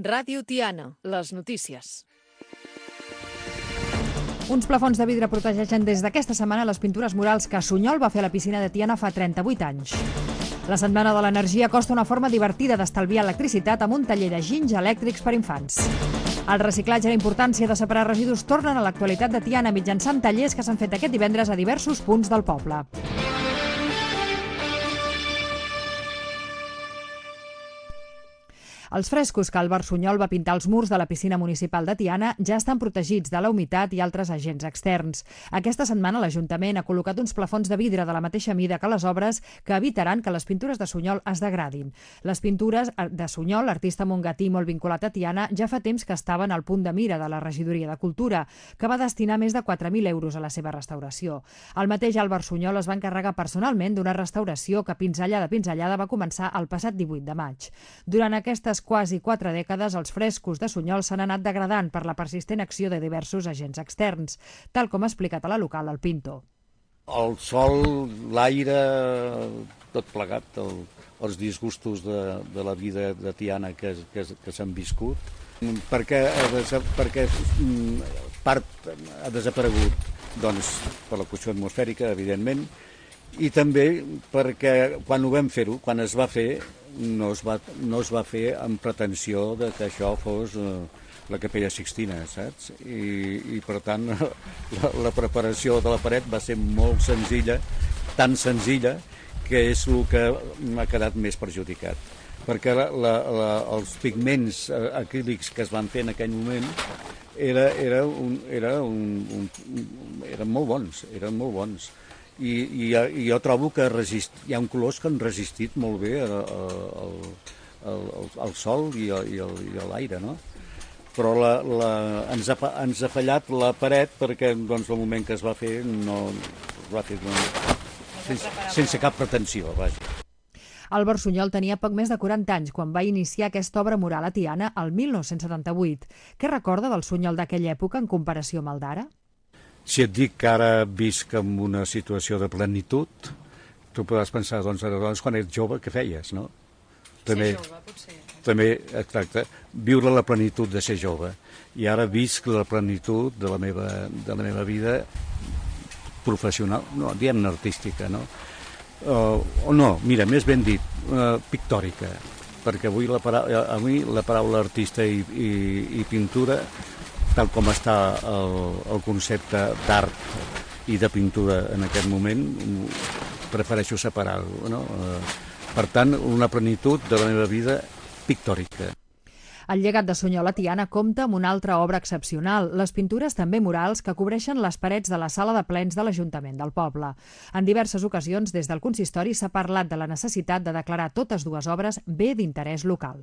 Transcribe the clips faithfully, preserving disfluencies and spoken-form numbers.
Ràdio Tiana, les notícies. Uns plafons de vidre protegeixen des d'aquesta setmana les pintures murals que Sunyol va fer a la piscina de Tiana fa trenta-vuit anys. La Setmana de l'Energia costa una forma divertida d'estalviar electricitat amb un taller de ginys elèctrics per infants. El reciclatge i la importància de separar residus tornen a l'actualitat de Tiana mitjançant tallers que s'han fet aquest divendres a diversos punts del poble. Els frescos que Álvar Sunyol va pintar als murs de la piscina municipal de Tiana ja estan protegits de la humitat i altres agents externs. Aquesta setmana l'Ajuntament ha col·locat uns plafons de vidre de la mateixa mida que les obres que evitaran que les pintures de Sunyol es degradin. Les pintures de Sunyol, artista mongatí molt vinculat a Tiana, ja fa temps que estaven al punt de mira de la Regidoria de Cultura, que va destinar més de quatre mil euros a la seva restauració. El mateix Álvar Sunyol es va encarregar personalment d'una restauració que pinzellada a pinzellada va començar el passat divuit de maig. Durant aquestes quasi quatre dècades, els frescos de Sunyol s'han anat degradant per la persistent acció de diversos agents externs, tal com ha explicat a la local el pintor. El sol, l'aire, tot plegat, el, els disgustos de, de la vida de Tiana que, que, que s'han viscut, perquè, perquè part ha desaparegut doncs, per la qüestió atmosfèrica, evidentment, i també perquè quan ho vam fer-ho, quan es va fer, no es va, no es va fer amb pretensió de que això fos eh, la Capella Sixtina, saps? I, i per tant la, la preparació de la paret va ser molt senzilla, tan senzilla que és el que m'ha quedat més perjudicat. Perquè la, la, la, els pigments acrílics que es van fer en aquell moment era, era un, era un, un, eren molt bons, eren molt bons. I, i, i jo trobo que resist, hi ha un colors que han resistit molt bé al, al, al sol i, a, i, al, i a l'aire, no? Però la, la, ens, ha, ens ha fallat la paret perquè doncs, el moment que es va fer no es va fer doncs, sense, sense cap pretensió, vaja. Álvar Sunyol tenia poc més de quaranta anys quan va iniciar aquesta obra mural a Tiana el mil nou-cents setanta-vuit. Què recorda del Sunyol d'aquella època en comparació amb el d'ara? Si et dic que ara visc en una situació de plenitud, tu podràs pensar, doncs, doncs quan ets jove, què feies, no? També, ser jove, potser. També, exacte, viure la plenitud de ser jove. I ara visc la plenitud de la meva, de la meva vida professional, no, diguem-ne artística, no? O uh, no, mira, més ben dit, uh, pictòrica, perquè avui la, para avui la paraula artista i, i, i pintura, tal com està el, el concepte d'art i de pintura en aquest moment, prefereixo separar-ho, no? Per tant, una plenitud de la meva vida pictòrica. El llegat de Sunyol a Tiana compta amb una altra obra excepcional, les pintures també murals que cobreixen les parets de la sala de plens de l'Ajuntament del poble. En diverses ocasions, des del consistori s'ha parlat de la necessitat de declarar totes dues obres bé d'interès local.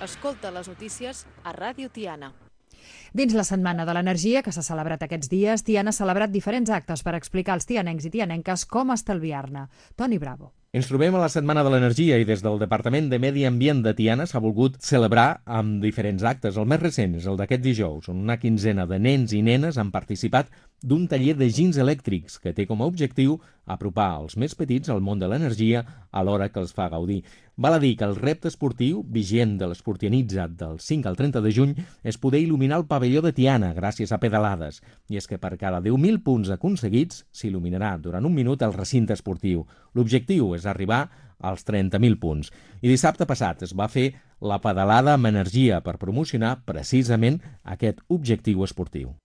Escolta les notícies a Ràdio Tiana. Dins la Setmana de l'Energia, que s'ha celebrat aquests dies, Tiana ha celebrat diferents actes per explicar als tianencs i tianenques com estalviar-ne. Toni Bravo. Ens trobem a la Setmana de l'Energia i des del Departament de Medi Ambient de Tiana s'ha volgut celebrar amb diferents actes. El més recent és el d'aquest dijous, on una quinzena de nens i nenes han participat d'un taller de ginys elèctrics que té com a objectiu apropar els més petits al món de l'energia alhora que els fa gaudir. Val a dir que el repte esportiu, vigent de l'Esportianitza del cinc al trenta de juny, és poder il·luminar el pavelló de Tiana gràcies a pedalades. I és que per cada deu mil punts aconseguits s'il·luminarà durant un minut el recinte esportiu. L'objectiu és arribar als trenta mil punts. I dissabte passat es va fer la pedalada amb energia per promocionar precisament aquest objectiu esportiu.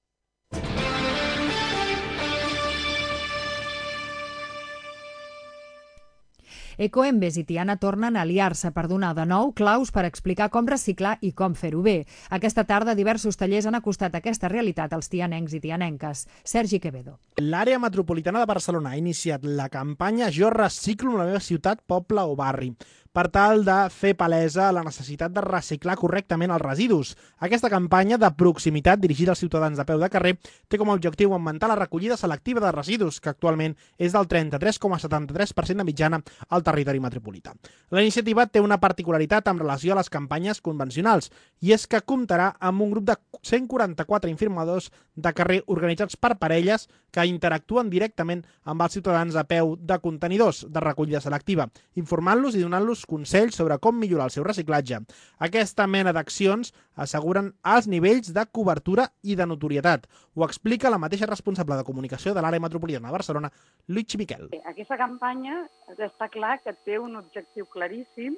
Ecoembes i Tiana tornen a aliar-se per donar de nou claus per explicar com reciclar i com fer-ho bé. Aquesta tarda diversos tallers han acostat aquesta realitat als tianencs i tianenques. Sergi Quevedo. L'àrea metropolitana de Barcelona ha iniciat la campanya Jo reciclo la meva ciutat, poble o barri. per tal de fer palesa la necessitat de reciclar correctament els residus. Aquesta campanya de proximitat dirigida als ciutadans de peu de carrer té com a objectiu augmentar la recollida selectiva de residus, que actualment és del trenta-tres coma setanta-tres per cent de mitjana al territori metropolità. La iniciativa té una particularitat en relació a les campanyes convencionals, i és que comptarà amb un grup de cent quaranta-quatre informadors de carrer organitzats per parelles que interactuen directament amb els ciutadans a peu de contenidors de recollida selectiva, informant-los i donant-los consells sobre com millorar el seu reciclatge. Aquesta mena d'accions asseguren alts nivells de cobertura i de notorietat. Ho explica la mateixa responsable de comunicació de l'àrea metropolitana de Barcelona, Luigi Miquel. Aquesta campanya està clar que té un objectiu claríssim,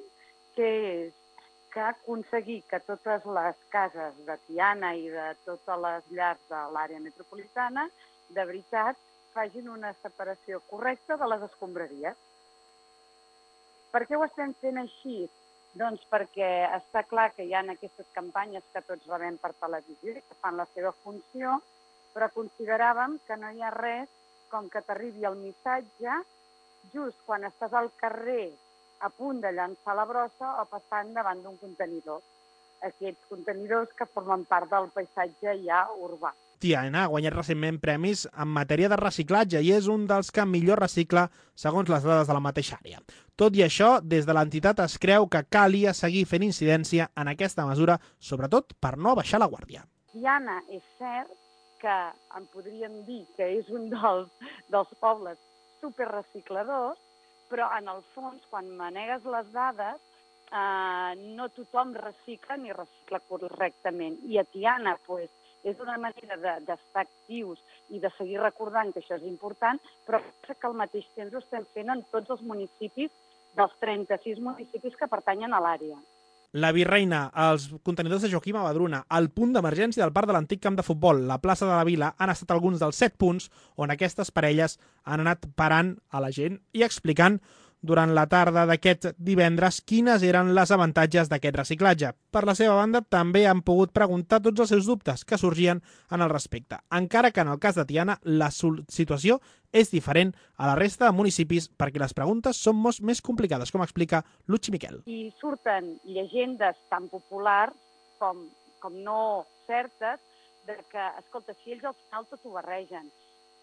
que és que aconseguir que totes les cases de Tiana i de totes les llars de l'àrea metropolitana de veritat facin una separació correcta de les escombraries. Per què ho estem fent així? Doncs perquè està clar que hi ha aquestes campanyes que tots rebem per televisió i que fan la seva funció, però consideràvem que no hi ha res com que t'arribi el missatge just quan estàs al carrer a punt de llançar la brossa o passant davant d'un contenidor. Aquests contenidors que formen part del paisatge ja urbà. Tiana ha guanyat recentment premis en matèria de reciclatge i és un dels que millor recicla segons les dades de la mateixa àrea. Tot i això, des de l'entitat es creu que calia seguir fent incidència en aquesta mesura, sobretot per no baixar la guàrdia. Tiana és cert que en podríem dir que és un dels, dels pobles superrecicladors, però en el fons, quan manegues les dades, eh, no tothom recicla ni recicla correctament. I a Tiana, pues, és una manera d'estar actius i de seguir recordant que això és important, però que al mateix temps ho estem fent en tots els municipis dels trenta-sis municipis que pertanyen a l'àrea. La Virreina, els contenidors de Joaquim Abadruna, el punt d'emergència del parc de l'antic camp de futbol, la plaça de la Vila, han estat alguns dels set punts on aquestes parelles han anat parant a la gent i explicant durant la tarda d'aquest divendres quines eren les avantatges d'aquest reciclatge. Per la seva banda, també han pogut preguntar tots els seus dubtes que sorgien en el respecte, encara que en el cas de Tiana la situació és diferent a la resta de municipis perquè les preguntes són molt més complicades, com explica Luigi Miquel. I surten llegendes tan populars com, com no certes de que, escolta, si ells al final tot ho barregen.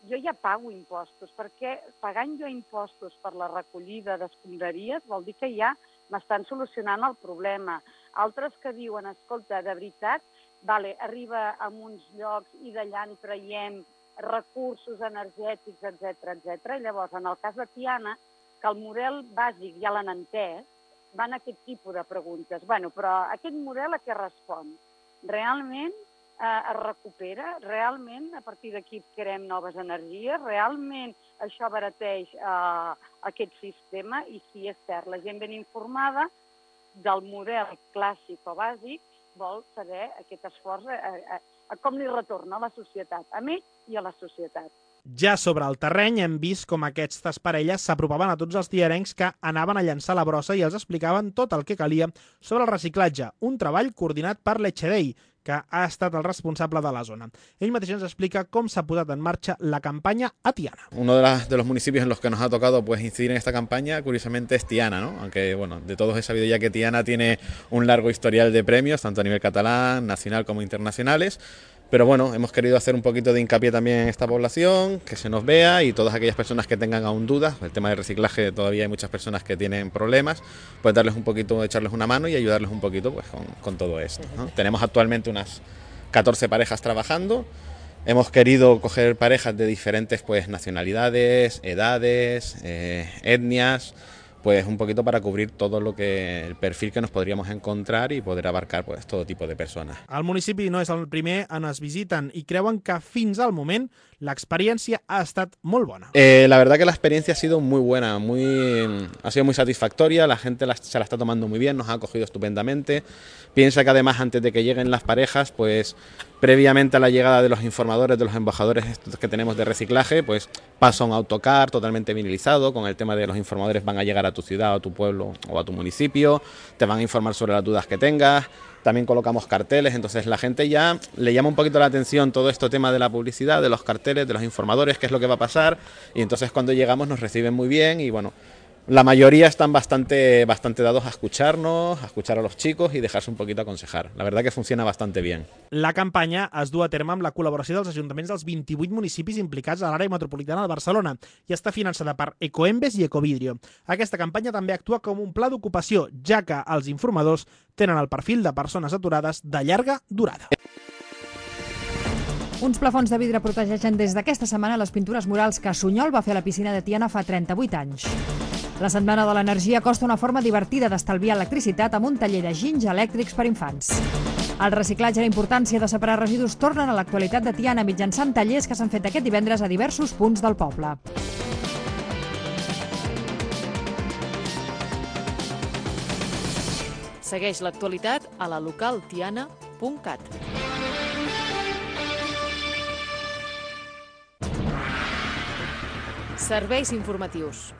Jo ja pago impostos, perquè pagant jo impostos per la recollida d'escombraries vol dir que ja m'estan solucionant el problema. Altres que diuen, escolta, de veritat, vale, arriba a uns llocs i d'allà en traiem recursos energètics, etcètera, etcètera. I llavors, en el cas de Tiana, que el model bàsic ja l'han entès, van a aquest tipus de preguntes. Bueno, però aquest model a què respon? Realment eh, es recupera? Realment a partir d'aquí creem noves energies? Realment això abarateix eh, aquest sistema? I si és cert, la gent ben informada del model clàssic o bàsic vol saber aquest esforç a, a, a com li retorna a la societat, a ell i a la societat. Ja sobre el terreny hem vist com aquestes parelles s'apropaven a tots els diarencs que anaven a llançar la brossa i els explicaven tot el que calia sobre el reciclatge, un treball coordinat per l'Echedei, que ha estat el responsable de la zona. Ell mateix ens explica com s'ha posat en marxa la campaña a Tiana. Uno de, las, de los municipios en los que nos ha tocado pues, incidir en esta campaña, curiosamente, es Tiana, ¿no? Aunque, bueno, de todos he sabido ya que Tiana tiene un largo historial de premios, tanto a nivel catalán, nacional como internacionales. Pero bueno, hemos querido hacer un poquito de hincapié también en esta población, que se nos vea y todas aquellas personas que tengan aún dudas, el tema del reciclaje todavía hay muchas personas que tienen problemas, pues darles un poquito, echarles una mano y ayudarles un poquito pues con, con todo esto, ¿no? Tenemos actualmente unas catorce parejas trabajando, hemos querido coger parejas de diferentes pues nacionalidades, edades, eh, etnias, pues un poquito para cubrir todo lo que el perfil que nos podríamos encontrar y poder abarcar pues todo tipo de personas. El municipi no és el primer on es visiten i creuen que fins al moment l'experiència ha estat molt bona. Eh, la verdad que la experiencia ha sido muy buena, muy, ha sido muy satisfactoria, la gente la, se la está tomando muy bien, nos ha acogido estupendamente. Piensa que además antes de que lleguen las parejas, pues previamente a la llegada de los informadores, de los embajadores estos que tenemos de reciclaje, pues pasa un autocar totalmente vinilizado, con el tema de los informadores van a llegar a tu ciudad, a tu pueblo o a tu municipio, te van a informar sobre las dudas que tengas. También colocamos carteles, entonces la gente ya le llama un poquito la atención todo este tema de la publicidad, de los carteles, de los informadores, qué es lo que va a pasar, y entonces cuando llegamos nos reciben muy bien y bueno, la mayoría están bastante, bastante dados a escucharnos, a escuchar a los chicos y dejarse un poquito aconsejar. La verdad que funciona bastante bien. La campanya es du a terme amb la col·laboració dels ajuntaments dels vint-i-vuit municipis implicats a l'àrea metropolitana de Barcelona i està finançada per Ecoembes i Ecovidrio. Aquesta campanya també actua com un pla d'ocupació, ja que els informadors tenen el perfil de persones aturades de llarga durada. Uns plafons de vidre protegeixen des d'aquesta setmana les pintures murals que Sunyol va fer a la piscina de Tiana fa trenta-vuit anys. La Setmana de l'Energia costa una forma divertida d'estalviar electricitat amb un taller de ginys elèctrics per infants. El reciclatge i la importància de separar residus tornen a l'actualitat de Tiana mitjançant tallers que s'han fet aquest divendres a diversos punts del poble. Segueix l'actualitat a la local tiana punt cat. Serveis informatius.